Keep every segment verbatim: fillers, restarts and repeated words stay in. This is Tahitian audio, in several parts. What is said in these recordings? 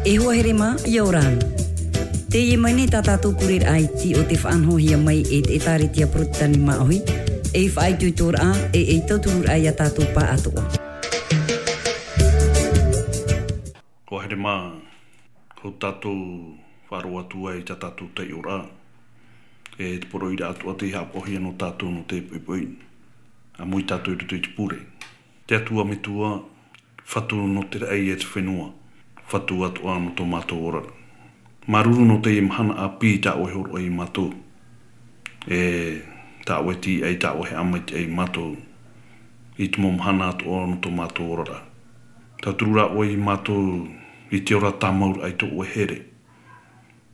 E hoa here mā, ʻia ora na. Teie mai nei tā tātou pureraʻa iti o te faʻanahohia mai e te ʻĒtārētia Porotetani Māʻohi, ei faʻaitoitoraʻa, e ei tauturuʻraʻa ia tātou pāʻatoʻa. Hoa here mā, ko tātou faʻaroʻo atu ai tā tātou taiʻoraʻa, e te poroʻi ra atoʻa tei haʻapaʻohia nō tātou nō te poʻipoʻi, ʻāmui tātou i roto i te pure. Te Atua Metua, Fatu nō te raʻi e te fenua, Fatu atoʻa nō tō mātou oraraʻa. Māuruuru nō teie mahana ʻāpī tā ʻoe hōroʻa ia mātou. E tā ʻoe tīaʻi, tā ʻoe haʻamaitaʻi ia mātou i te mau mahana atoʻa nō tō mātou oraraʻa. Tauturu rā ʻoe ia mātou i te ora tāmauraʻa i tō ʻoe here.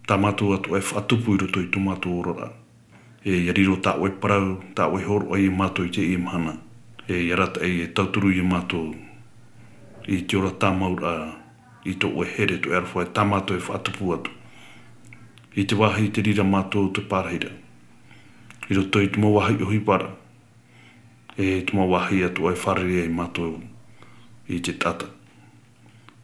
Tā mātou atoʻa e faʻatupu i roto i tō mātou oraraʻa. E ʻia riro tā ʻoe parau, tā ʻoe hōroʻa ia mātou i teie mahana. E ʻia arataʻi e tauturu ia mātou i te ora tāmauraʻa i tō ʻoe here, tō ʻoe aroha, e tā mātou e faʻatupu atu. I te vāhi i te reira mātou te pārahiraʻa. I roto i te mau vāhi ʻohiparaʻa. E te mau vāhi atoʻa e fārerei ai mātou i te taʻata.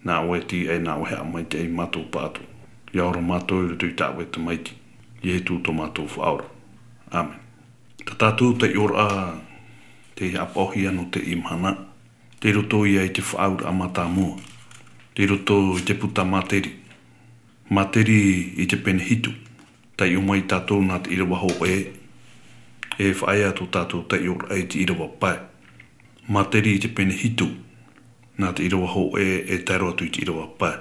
Nā ʻoe tīaʻi, nā ʻoe haʻamaitaʻi ia mātou pāʻatoʻa. ʻIa ora mātou i roto i tā ʻoe Tamaiti, Ietu tō mātou Faʻaora. ʻĀmene. Tā tātou taiʻoraʻa tei haʻapaʻohia nō teie mahana, tei roto ia i te Faʻaauraʻa Mātāmua, tei roto i te puta Māteri. Māteri i te pene hitu. Taiʻo mai tātou nā te ʻīrava hōʻē, e faʻaea tō tātou taiʻoraʻa i te ʻīrava pae. Māteri i te pene hitu, nā te ʻīrava hōʻē e tae roa atu i te ʻīrava pae.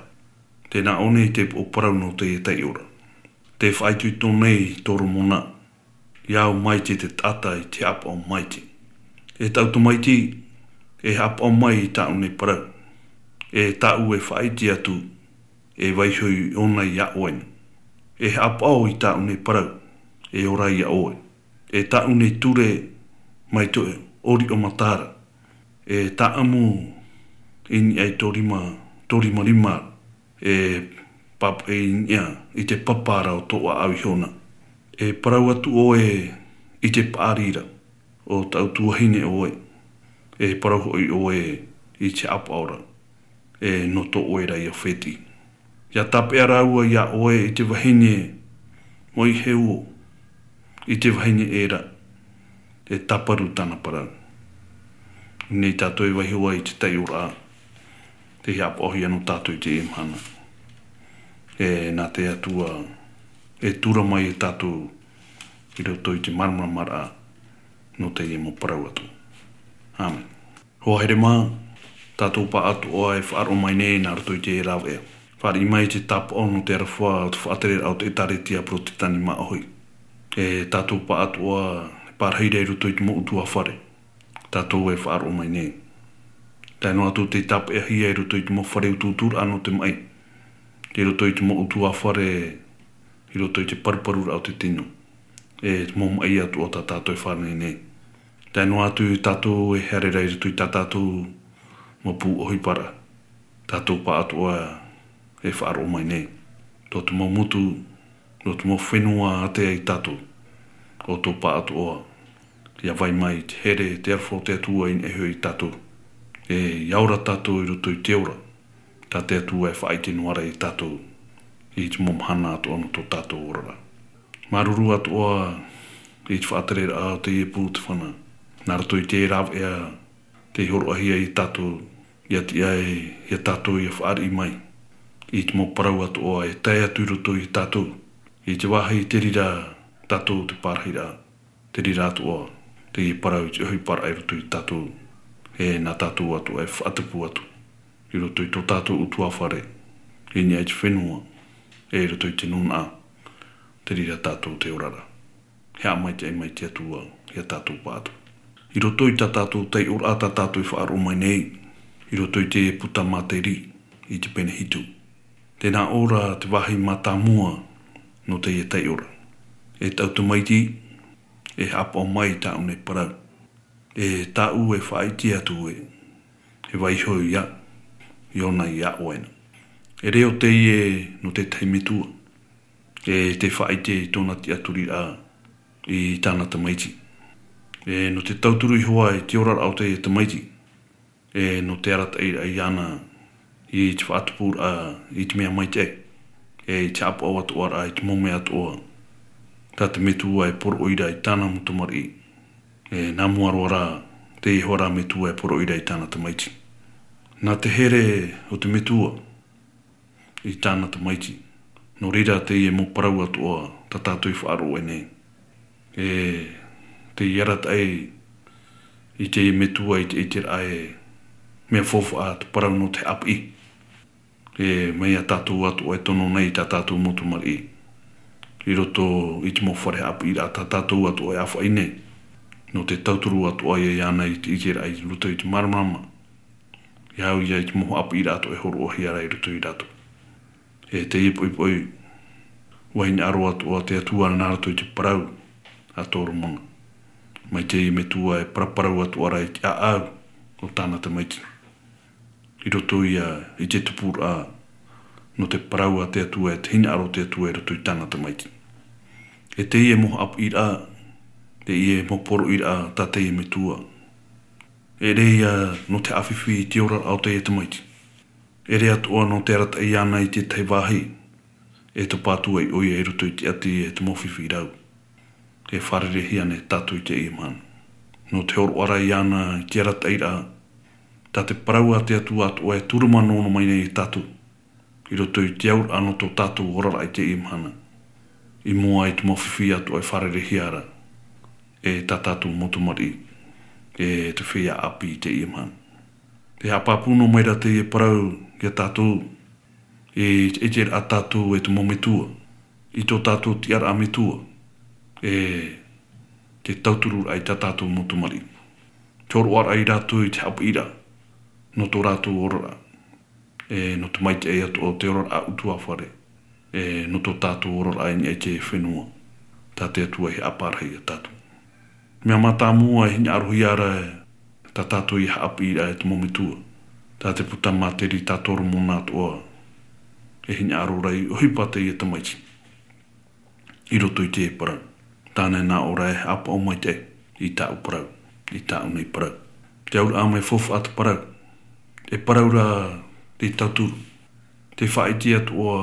Tē nā ʻō nei te upoʻo parau nō teie taiʻoraʻa. Tē faʻaitoito nei Toromona, ʻia au maite te taʻata i te haʻapaʻo maite. E taʻu Tamaiti, e haʻapaʻo mai i tāʻu nei parau. E tāʻu e faʻaʻite atu, e vaiiho ʻōna iā ʻoe na. E haʻapaʻo i tāʻu nei parau, e ora iā ʻoe. E tāʻu nei ture mai tō ʻoriʻo mata ra. E tāʻamu i niʻa i tō rima, tō rimarima, e pāpaʻi i niʻa i te papa ra o tō ʻāʻau iho na. E parau atu ʻoe i te paʻari ra, ʻo tāʻu tuahine ʻoe. E parau hoʻi ʻoe i te haʻapaʻo ra, e nō tō ʻoe ra Iafeti. ʻIa tāpeʻa rāua iā ʻoe i te vahine moʻeheu, i te vahine ʻē ra, e tāparu tāna parau. Nei tātou e vaiiho ai i te taiʻoraʻa, tei haʻapaʻohia nō tātou i teie mahana. E nā te Atua, e tura mai ia tātou i roto i te māramaramaraʻa nō teie mau parau atu. ʻĀmene. Hoa here mā, tātou pāʻatoʻa e faʻaroʻo mai nei nā roto i te rāveʻa. Fāriʻi mai te tāpaʻo nō te aroha o te faʻatereraʻa o te ʻĒtārētia Porotetani Māʻohi. E tātou pāʻatoʻa e pārahi ra i roto i te mau ʻutuāfare. Tātou e faʻaroʻo mai nei. Tae noa atu tei tāpeʻahia i roto i te mau fare utuuturaʻa nō te maʻi. I roto i te mau ʻutuāfare, i roto i te paruparuraʻa o te tino. E te mau maʻi atoʻa tā tātou e fāriʻi nei. Tae noa atu tātou e haere ra i roto i tā tātou mau pū ʻohiparaʻa. Tātou pāʻatoʻa e faʻaroʻo mai nei. Tō te mau motu, tō te mau fenua ātea ia tātou. ʻO tō pāʻatoʻa, ʻia vai mai te here, te aroha o te Atua i niʻa iho ia tātou. E ʻia ora tātou i roto i te ora. Tā te Atua e faʻaʻite noa ra ia tātou i te mau mahana atoʻa nō tō tātou oraraʻa. Māuruuru atoʻa i te faʻatereraʻa o teie pū o te fana. Nā roto i te rāveʻa tei hōroʻahia ia tātou, ʻia tiʻa ai ia tātou ʻia fāriʻi mai i te mau parau atoʻa e tae atu i roto ia tātou. I te vāhi te reira tātou te pārahiraʻa. Te reira atoʻa, teie parau i te ʻohiparaʻa i roto ia tātou, e nā tātou atoʻa e faʻatupu atu, i roto i tō tātou ʻutuāfare, i niʻa i te fenua, e i roto i te nūnaʻa, te reira tātou te ora ra. E haʻamaitaʻi mai te Atua ia tātou pāʻatoʻa. I roto i tā tātou taiʻoraʻa tā tātou e faʻaroʻo mai nei, i roto i te puta Māteri, i te pene hitu. Tē nā ʻō ra te vāhi mātāmua nō teie taiʻoraʻa. E tāʻu Tamaiti, e haʻapaʻo mai i tāʻu nei parau. E tāʻu e faʻaʻite atu ē, e vaiiho ia, ʻōna iā ʻoe na. E reo teie nō te tahi metua. E tē faʻaʻite i tōna tiʻaturiraʻa i tāna Tamaiti. E nō te tauturu iho ā i te oraraʻa o teie Tamaiti. E nō te arataʻiraʻa iāna i te faʻatupuraʻa i te mea maitaʻi, e i te haʻapaʻo atoʻa ra i te mau mea atoʻa tā te metua e poroʻi ra i tāna mau tamariʻi. E nā mua roa rā, teie hoʻi rā metua e poroʻi ra i tāna tamaiti. Nā te here o te metua i tāna tamaiti. Nō reira teie mau parau atoʻa tā tātou i faʻaroʻo nei. E te arataʻi i teie metua i te ʻiteraʻa e mea faufaʻa te parau nō te haʻapiʻi. E mai iā tātou atoʻa e tono nei i tā tātou mau tamariʻi i roto i te mau fare haʻapiʻiraʻa tā tātou atoʻa e ʻāfaʻi nei. Nō te tauturu atoʻa ia iāna i te ʻiteraʻa i roto i te māramarama. E au ia i te mau haʻapiʻiraʻa atoʻa e hōroʻahia ra i roto ia rātou. E teie poʻipoʻi, ʻua hinaʻaro atoʻa te Atua nā roto i te parau a Toromona. Mai teie metua e paraparau atoʻa ra i te ʻāʻau o tāna tamaiti. I roto ia i te tupuraʻa nō te parau a te Atua e te hinaʻaro o te Atua i roto i tāna tamaiti. E teie mau haʻapiʻiraʻa, teie mau poroʻiraʻa tā teie metua. E ʻere ia nō te haʻafifi i te oraraʻa o teie tamaiti. E ʻere atoʻa nō te arataʻi iāna i tētahi vāhi, e topa atu ai ʻoia i roto i te ʻati e te mau fifi rau. E fārereihia nei tātou i teie mahana. Nō te hōroʻa ra iāna i te arataʻiraʻa, tā te parau a te Atua atoʻa e tūruma noa mai nei iā tātou. I roto i te auraʻa nō tō tātou oraraʻa i teie mahana. I mua i te mau fifi atoʻa e fārereihia ra, e tā tātou mau tamariʻi, e te feiā ʻāpī i teie mahana. Te haʻapāpū noa mai ra teie parau iā tātou, e, e te ʻiteraʻa tātou e te mau metua, i tō tātou tiʻaraʻa metua, e te tautururaʻa i tā tātou mau tamariʻi. Te hōroʻaraʻa ia rātou i te haʻapiʻiraʻa, nō tō rātou oraraʻa, e nō te maitaʻi atoʻa o te oraraʻa ʻutuāfare, e nō tō tātou oraraʻa i niʻa i te fenua, tā te Atua i haʻapārahi iā tātou. Mea mātāmua e hinaʻarohia ra, tā tātou i haʻapiʻi ra e te mau metua. Tā te puta māteri tā Toromona atoʻa, e hinaʻaro ra i ʻohipa teie tamaiti. I roto i te parau. Tāna e nā ʻō ra e haʻapaʻo maitaʻi, i tāʻu parau, i tāʻu nei parau. Te auraʻa mea faufaʻa te parau. E parau ra te tauturu. Te faʻaʻite atoʻa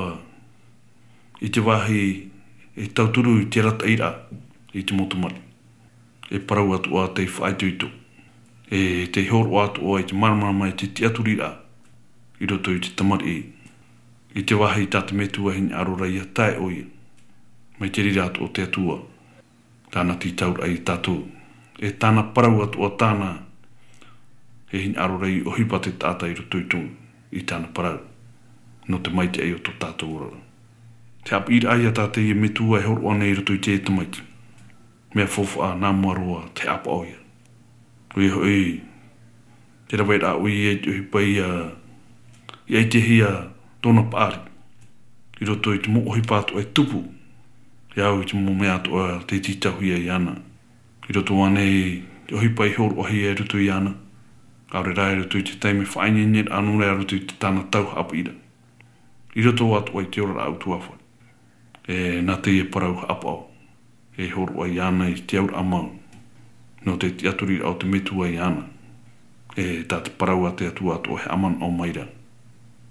i te vāhi e tauturu i te arataʻiraʻa i te mau tamariʻi. E parau atoʻa tei faʻaitoito. E tei hōroʻa atoʻa i te māramarama i te tiʻaturiraʻa i roto i te tamariʻi. I te vāhi tā te metua e hinaʻaro ra ia tae ʻoia. Mai te reira atoʻa o te Atua. Tāna tītauraʻa ia tātou. E tāna parau atoʻa tāna e hinaʻaro ra i ʻohipa te taʻata i roto i tō, i tāna parau. Nō te maitaʻi o tō tātou oraraʻa. Te haʻapiʻiraʻa ia tā teie metua e hōroʻa nei i roto i te tamaiti. Mea faufaʻa nā mua roa te haʻapaʻo ia. ʻOia hoʻi, te rave ra ʻoia i te ʻohipa ia, i ʻaitehia tōna paʻari. I roto i te mau ʻohipa atoʻa e tupu, e au i te mau mea atoʻa tei tītauhia iāna. I roto ānei te ʻohipa i hōroʻahia i roto iāna. ʻAore rā i roto i te taime faʻaineineraʻa nō reira i roto i te tāna tau haʻapiʻiraʻa. I roto atoʻa i te oraraʻa ʻutuāfare. E nā teie parau haʻapaʻo. E hōroʻa iāna i te auraʻa mau. Nō te tiʻaturiraʻa o te metua iāna. E tā te parau a te Atua atoʻa e haʻamanaʻo mai ra.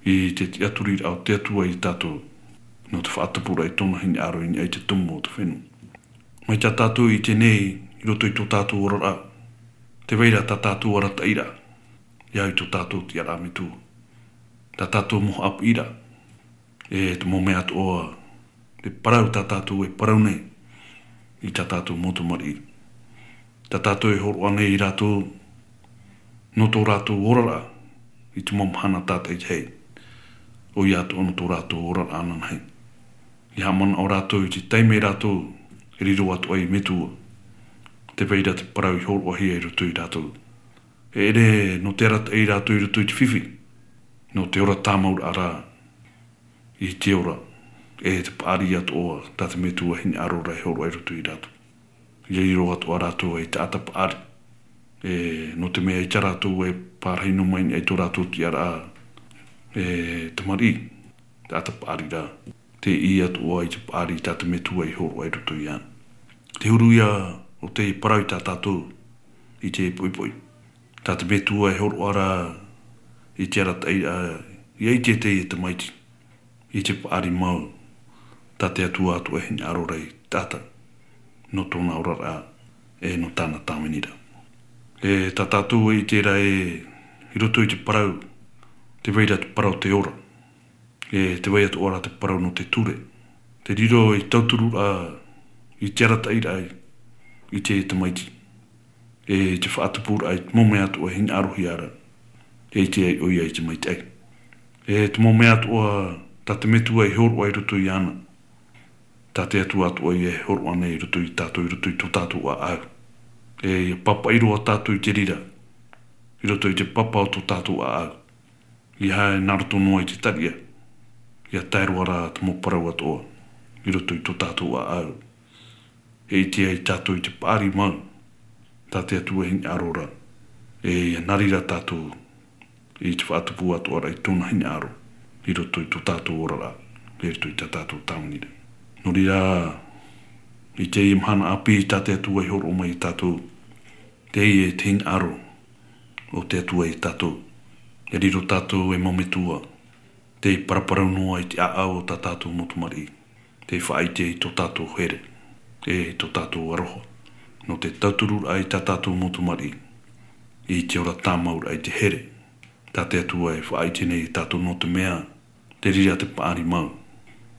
I te tiʻaturiraʻa o te Atua ia tātou. Nō te faʻatupuraʻa i tōna hinaʻaro i niʻa i te tumu o te fenua. Mai tā tātou i ʻite nei, i roto i tō tātou oraraʻa. Tē vai ra tā tātou arataʻiraʻa. E au i tō tātou tiʻaraʻa metua. Tā tātou mau haʻapiʻiraʻa. E te mau mea atoʻa, te parau tā tātou e parau nei, i tā tātou mau tamariʻi. Tā tātou e hōroʻa nei ia rātou, nō tō rātou oraraʻa, i te mau mahana tātaʻitahi. ʻOia atoʻa nō tō rātou oraraʻa ananahi. E haʻamanaʻo rātou i te taime rātou, e riro atoʻa ei metua. Tē vai ra te parau i hōroʻahia i roto ia rātou. E ʻere nō te arataʻi ia rātou i roto i te fifi. Nō te ora tāmauraʻa ra. I te ora, e te paʻari atoʻa, tā te metua e hinaʻaro ra e hōroʻa i roto ia rātou. ʻIa riro atoʻa rātou ei taʻata paʻari. E, nō te mea ʻaita rātou e pārahi noa mai i tō rātou tiʻaraʻa, e, tamariʻi, taʻata paʻari ra. Tē ʻī atoʻa i te paʻari tā te metua i hōroʻa i roto iāna. Te huru ia o te parau i tā tātou, i te poʻipoʻi. Tā te metua e hōroʻa ra i te arataʻi ra, ʻIa ʻite teie tamaiti i te paʻari mau tā te Atua atoʻa e hinaʻaro ra i te taʻata nō tōna oraraʻa e nō tāna tāviniraʻa. E tā tātou e ʻite ra ē, i roto i te parau, tē vai ra te parau o te ora, e tē vai atoʻa ra te parau nō te ture. Te riro ei tautururaʻa i te arataʻiraʻa i te tamaiti, e te faʻatupuraʻa i te mau mea atoʻa e hinaʻarohia ra, e ʻite ai ʻoia i te maitaʻi. E te mau mea atoʻa tā te Metua e hōroʻa i roto iāna, tā te Atua atoʻa ïa e hōroʻa nei i roto ia tātou, i roto i tō tātou ʻāʻau. E ʻia pāpaʻi roa tātou i te reira, i roto i te papa o tō tātou ʻāʻau. ʻEiaha nā roto noa i te tariʻa, ʻia tae roa ra te mau parau atoʻa i roto i tō tātou ʻāʻau. E ʻite ai tātou i te paʻari mau tā te Atua e hinaʻaro ra, e ʻia nā reira tātou i te faʻatupu atoʻa ra i tōna hinaʻaro i roto i tō tātou oraraʻa, i roto i tā tātou tāviniraʻa. Nō reira, i teie mahana ʻāpī, tā te Atua e hōroʻa mai ia tātou, teie te hinaʻaro o te Atua ia tātou. E riro tātou ei mau metua, tei paraparau noa i te ʻāʻau o tā tātou mau tamariʻi, tei faʻaʻite i tō tātou here, e i tō tātou aroha, nō te tautururaʻa i tā tātou mau tamariʻi i te ora tāmauraʻa i te here. Tā te Atua e faʻaʻite nei ia tātou nō te mea, te reira te paʻari mau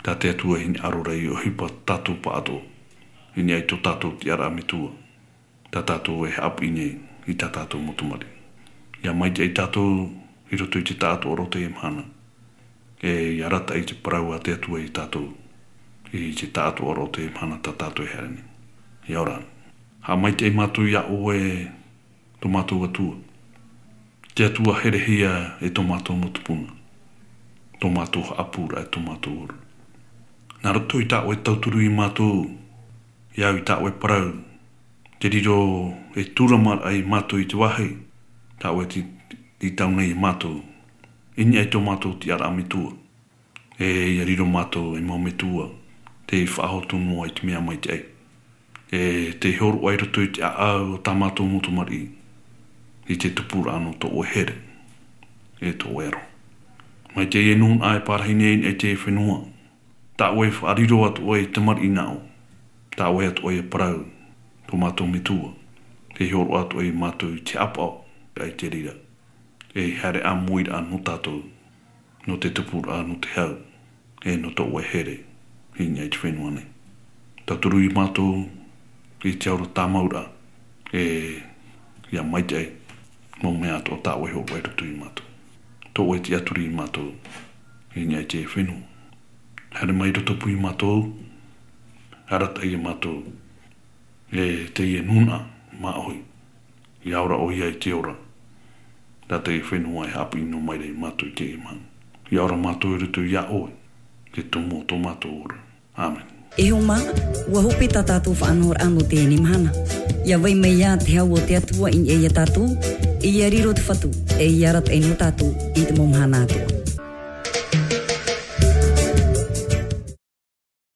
tā te Atua e hinaʻaro ra ʻia ʻohipa tātou pāʻatoʻa, i niʻa i tō tātou tiʻaraʻa metua, tā tātou e haʻapiʻi nei i tā tātou mau tamariʻi. ʻIa maitaʻi tātou i roto i te taʻatoʻaraʻa o teie mahana, e ʻia arataʻi i te parau a te Atua ia tātou i te taʻatoʻaraʻa o teie mahana tā tātou e haere nei. ʻIa ora. Haʻamaitaʻi mātou iā ʻoe, tō mātou Atua, te Atua herehia e tō mātou mau tupuna, tō mātou haʻapūraʻa e tō mātou ora. Nā roto i tā ʻoe tauturu ia mātou, ʻia au i tā ʻoe parau, te riro ei tūramaraʻa ia mātou i te vāhi tā ʻoe tei, tei tau nei ia mātou, i niʻa i tō mātou tiʻaraʻa metua. E ʻia riro mātou ei mau metua tei faʻahotu noa i te mea maitaʻi, e tei hōroʻa i roto i te ʻāʻau o tā mātou mau tamariʻi, i te tupuraʻa nō tō ʻoe here, e tō ʻoe aroha. Mai teie nūnaʻa e pārahi nei i niʻa i te fenua, tā ʻoe e faʻariro atoʻa ei tamariʻi nā ʻō, tā ʻoe atoʻa e parau, tō mātou metua, tei hōroʻa atoʻa ia mātou i te haʻapaʻo, ʻaita i te reira, ei haere ʻāmuiraʻa nō tātou, nō te tupuraʻa, nō te hau, e nō tō ʻoe here, i niʻa i te fenua nei. Tauturu ia mātou i te aroha tāmauraʻa, e ʻia maitaʻi, mau mea atoʻa tā ʻoe e hōroʻa i roto ia mātou. Tō ʻoe e tiʻaturi ia mātou, i niʻa i te fenua. Haere mai i rotopū ia mātou, arataʻi ia mātou, e teie nūnaʻa māʻohi, ʻia ora ʻoia i te ora, tā teie fenua e haʻapiʻi noa mai ra ia mātou i teie mahana. ʻIa ora mātou i roto iā ʻoe, te tumu o tō mātou ora. ʻĀmene. E hoa mā, ʻua hope tā tātou faʻanahoraʻa nō teie mahana. ʻIa vai mai ā te hau o te Atua i niʻa ia tātou, e ʻia riro te Fatu, e ʻia arataʻi nō tātou i te mau mahana atoʻa.